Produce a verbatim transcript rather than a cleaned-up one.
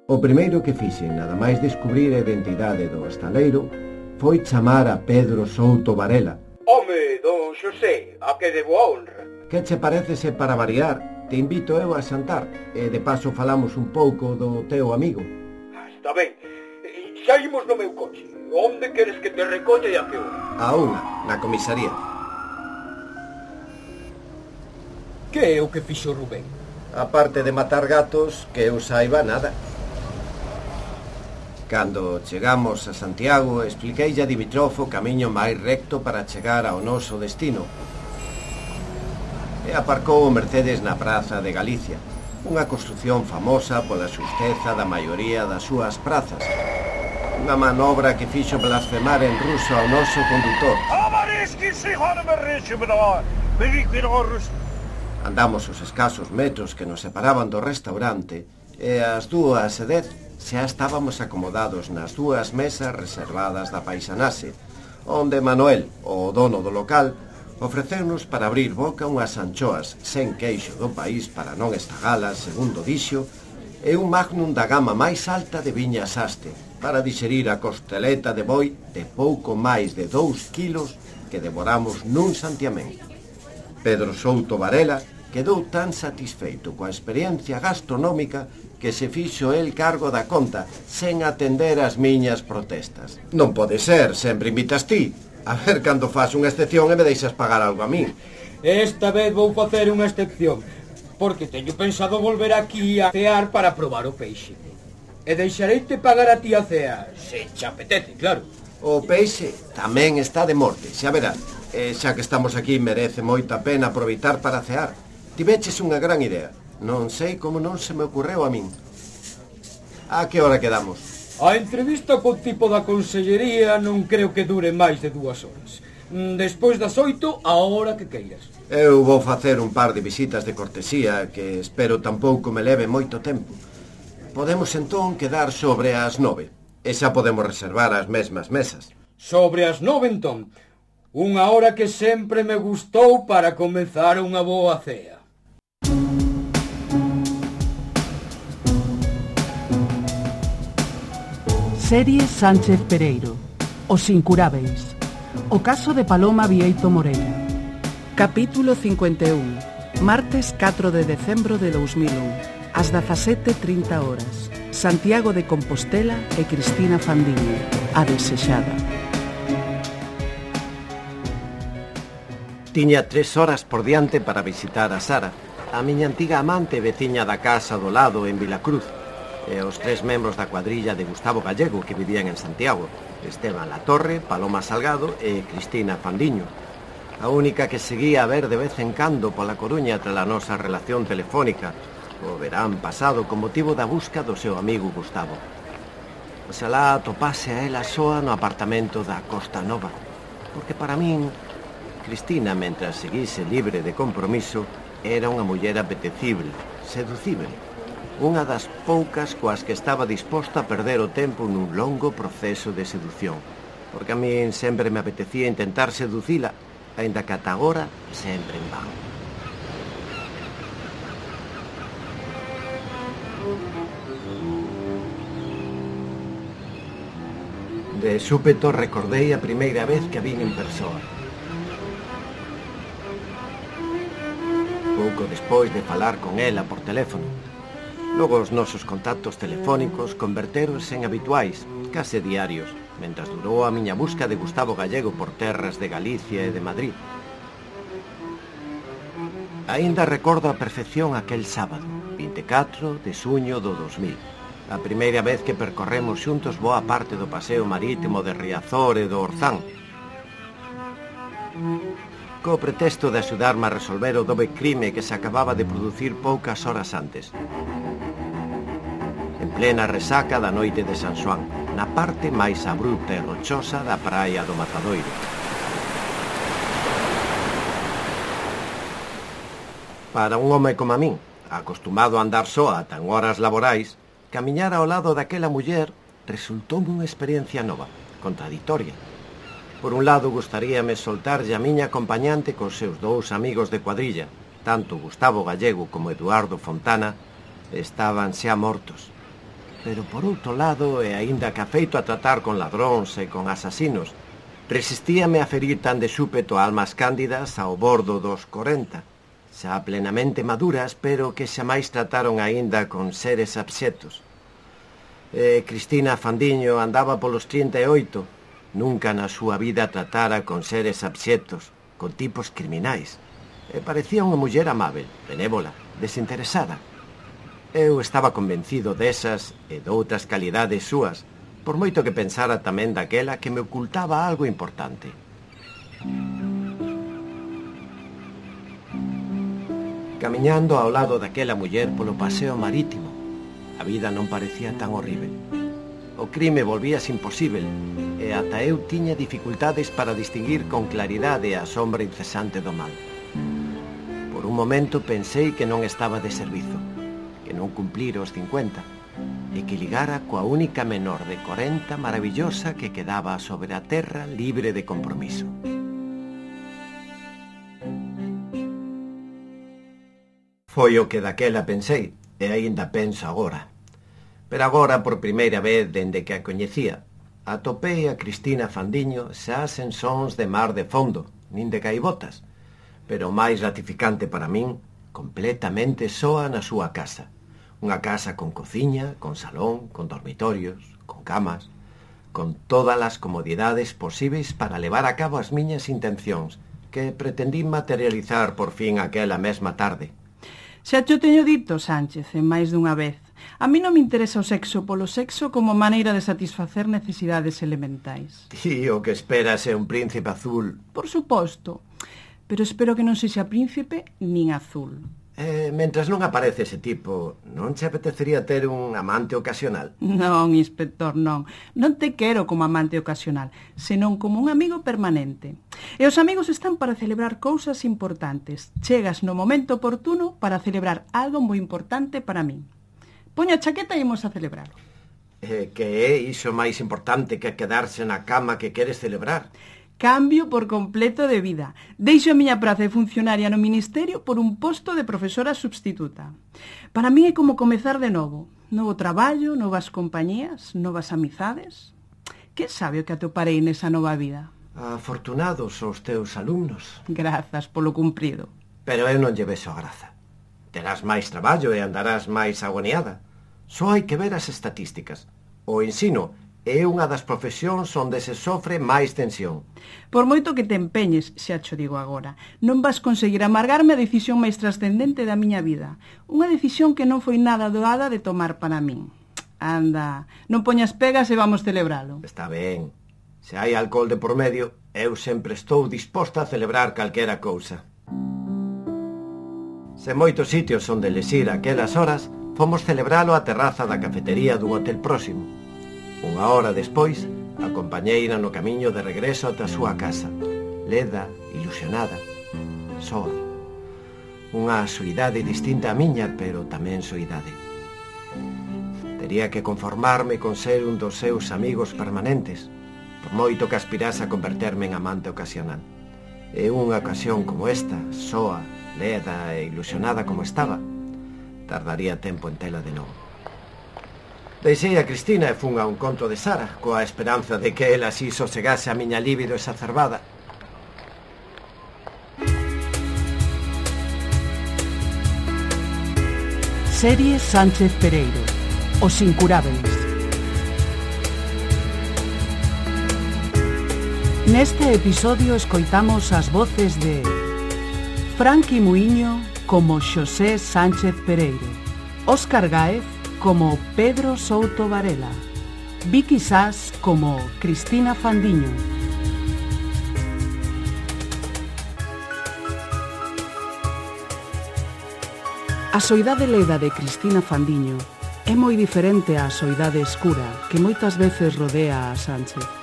O primeiro que fixen, nada máis descubrir a identidade do estaleiro, foi chamar a Pedro Souto Varela. Home, don Xosé, a que debo a honra. Que che parece se para variar, te invito eu a xantar, e de paso falamos un pouco do teu amigo. Está ben, xa imos no meu coche. Onde queres que te recolla e a que hora? A unha, na comisaría. Que é o que fixo Rubén? A parte de matar gatos, que eu saiba nada. Cando chegamos a Santiago, expliquei a Dimitrov o camiño máis recto para chegar ao noso destino. E aparcou o Mercedes na Praza de Galicia, unha construción famosa pola xusteza da maioría das súas prazas. Unha manobra que fixo blasfemar en ruso ao noso condutor. Andamos os escasos metros que nos separaban do restaurante e ás dúas e dez xa estábamos acomodados nas dúas mesas reservadas da paisanaxe, onde Manuel, o dono do local, ofreceunos para abrir boca unhas anchoas sen queixo do país para non estagalas, segundo dixo, e un magnum da gama máis alta de viña Saste, para dixerir a costeleta de boi de pouco máis de dous quilos que devoramos nun santiamén. Pedro Souto Varela quedou tan satisfeito coa experiencia gastronómica que se fixo el cargo da conta sen atender as miñas protestas. Non pode ser, sempre invitas ti. A ver cando faz unha excepción e me deixas pagar algo a min. Esta vez vou facer unha excepción, porque teño pensado volver aquí a cear para probar o peixe. E deixareite pagar a ti a cea, se te apetece, claro. O peixe tamén está de morte, xa verás. E xa que estamos aquí merece moita pena aproveitar para cear. Tiveches unha gran idea. Non sei como non se me ocurreu a min. A que hora quedamos? A entrevista co tipo da consellería non creo que dure máis de dúas horas. Despois das oito, a hora que queiras. Eu vou facer un par de visitas de cortesía que espero tampouco me leve moito tempo. Podemos entón quedar sobre as nove. E xa podemos reservar as mesmas mesas. Sobre as nove entón. Unha hora que sempre me gustou para comezar unha boa cea. Serie Sánchez Pereiro. Os incurábeis. O caso de Paloma Vieito Morella. Capítulo cincuenta e un. Martes catro de decembro de dous mil un. Ás dezasete e trinta horas. Santiago de Compostela e Cristina Fandiño. A desexada. Tiña tres horas por diante para visitar a Sara, a miña antiga amante e veciña da casa do lado en Vilacruz, e os tres membros da cuadrilla de Gustavo Gallego que vivían en Santiago, Esteban Latorre, Paloma Salgado e Cristina Fandiño. A única que seguía a ver de vez en cando pola Coruña tras a nosa relación telefónica o verán pasado con motivo da busca do seu amigo Gustavo. Oxalá atopase a ela soa no apartamento da Costa Nova, porque para min Cristina, mentras seguise libre de compromiso, era unha muller apetecible, seducible, unha das poucas coas que estaba disposta a perder o tempo nun longo proceso de sedución, porque a min sempre me apetecía intentar seducila, aínda que ata agora sempre en van. De súpeto recordei a primeira vez que a vin en persoa. Pouco despois de falar con ela por teléfono. Logo os nosos contactos telefónicos convertéronse en habituais, case diarios, mentras durou a miña busca de Gustavo Gallego por terras de Galicia e de Madrid. Aínda recordo a perfección aquel sábado, vinte e catro de xuño do dos mil. A primeira vez que percorremos xuntos boa parte do paseo marítimo de Riazor e do Orzán. Co pretexto de axudarme a resolver o dobre crime que se acababa de producir poucas horas antes. En plena resaca da noite de San Xoán, na parte máis abrupta e rochosa da praia do Matadoiro. Para un home como a min, acostumado a andar só ata en horas laborais, camiñar ao lado daquela muller resultou unha experiencia nova, contradictoria. Por un lado, gustaríame soltarlle a miña acompañante cos seus dous amigos de cuadrilla, tanto Gustavo Gallego como Eduardo Fontana, estaban xa mortos. Pero por outro lado, e aínda que afeito a tratar con ladróns e con asasinos, resistíame a ferir tan de súpeto almas cándidas ao bordo dos corenta, xa plenamente maduras, pero que xa máis trataron aínda con seres abxectos. E Cristina Fandiño andaba polos trinta e oito, nunca na súa vida tratara con seres abxectos, con tipos criminais. E parecía unha muller amável, benévola, desinteresada. Eu estaba convencido desas e doutras calidades súas, por moito que pensara tamén daquela que me ocultaba algo importante. Camiñando ao lado daquela muller polo paseo marítimo, a vida non parecía tan horrível. O crime volvíase imposível, e ata eu tiña dificultades para distinguir con claridade a sombra incesante do mal. Por un momento pensei que non estaba de servizo, que non cumplira os cincuenta, e que ligara coa única menor de corenta maravillosa que quedaba sobre a terra libre de compromiso. Foi o que daquela pensei, e aínda penso agora. Pero agora, por primeira vez dende que a coñecía, atopei a Cristina Fandiño xa sen sons de mar de fondo, nin de gaivotas, pero máis gratificante para min, completamente soa na súa casa. Unha casa con cociña, con salón, con dormitorios, con camas, con todas as comodidades posíveis para levar a cabo as miñas intencións, que pretendín materializar por fin aquela mesma tarde. Xa te o teño dito, Sánchez, en máis dunha vez. A mí non me interesa o sexo polo sexo como maneira de satisfacer necesidades elementais. Ti o que esperas é un príncipe azul. Por suposto, pero espero que non sexa príncipe nin azul. Eh, mentras non aparece ese tipo, non che apetecería ter un amante ocasional? Non, inspector, non. Non te quero como amante ocasional, senón como un amigo permanente. E os amigos están para celebrar cousas importantes. Chegas no momento oportuno para celebrar algo moi importante para min. Poño a chaqueta e imos a celebrar. Eh, que é iso máis importante que quedarse na cama que queres celebrar? Cambio por completo de vida. Deixo a miña praza de funcionaria no Ministerio por un posto de profesora substituta. Para mí é como comezar de novo. Novo traballo, novas compañías, novas amizades. Que sabe o que atoparei nesa nova vida? Afortunados os teus alumnos. Grazas polo cumprido. Pero eu non lle vexo a graza. Terás máis traballo e andarás máis agoniada. Só hai que ver as estatísticas. O ensino é unha das profesións onde se sofre máis tensión. Por moito que te empeñes, xa cho digo agora, non vas conseguir amargarme a decisión máis trascendente da miña vida. Unha decisión que non foi nada doada de tomar para min. Anda, non poñas pegas e vamos celebralo. Está ben. Se hai alcohol de por medio, eu sempre estou disposta a celebrar calquera cousa. Se moitos sitios onde les ir aquelas horas, fomos celebralo á terraza da cafetería dun hotel próximo. Unha hora despois, acompañeina no camiño de regreso ata a súa casa, leda, ilusionada, soa. Unha soidade distinta á miña, pero tamén soidade. Tería que conformarme con ser un dos seus amigos permanentes, por moito que aspirase a converterme en amante ocasional. E unha ocasión como esta, soa, leda e ilusionada como estaba, tardaría tempo en tela de novo. Deixei a Cristina e fun a un conto de Sara, coa esperanza de que ela así sosegase a miña libido exacerbada. Serie Sánchez Pereiro, Os Incurábeis. Neste episodio escoitamos as voces de Franqui Muiño como Xosé Sánchez Pereiro, Óscar Gáez como Pedro Souto Varela, Vicky Sás como Cristina Fandiño. A soidade leda de Cristina Fandiño é moi diferente á soidade escura que moitas veces rodea a Sánchez.